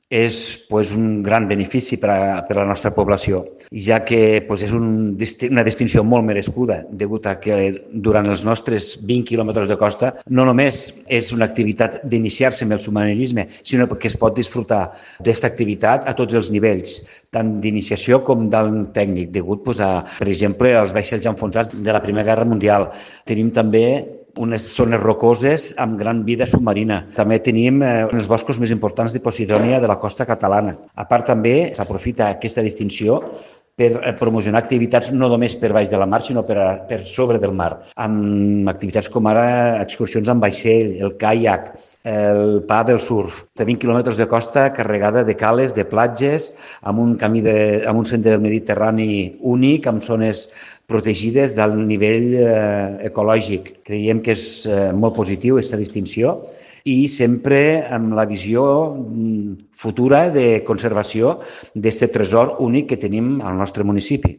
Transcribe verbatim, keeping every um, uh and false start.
és pues, un gran benefici per a, per a la nostra població, ja que pues, és un, una distinció molt merescuda, degut a que durant els nostres vint quilòmetres de costa no només és una activitat d'iniciar-se amb el submarinisme, sinó que es pot disfrutar d'aquesta activitat a tots els nivells, tant d'iniciació com d'alt tècnic, degut pues, a, per exemple, als vaixells enfonsats de la Primera Guerra Mundial. Tenim també unes zones rocoses amb gran vida submarina. També tenim eh, els boscos més importants de Posidònia de la costa catalana. A part, també s'aprofita aquesta distinció per promocionar activitats no només per baix de la mar, sinó per, a, per sobre del mar, amb activitats com ara excursions amb vaixell, el caiac, el pa del surf. De vint quilòmetres de costa carregada de cales, de platges, amb un camí de, amb un sender del Mediterrani únic, amb zones protegides d'alt nivell eh, ecològic. Creiem que és eh, molt positiu aquesta distinció i sempre amb la visió futura de conservació d'aquest tresor únic que tenim al nostre municipi.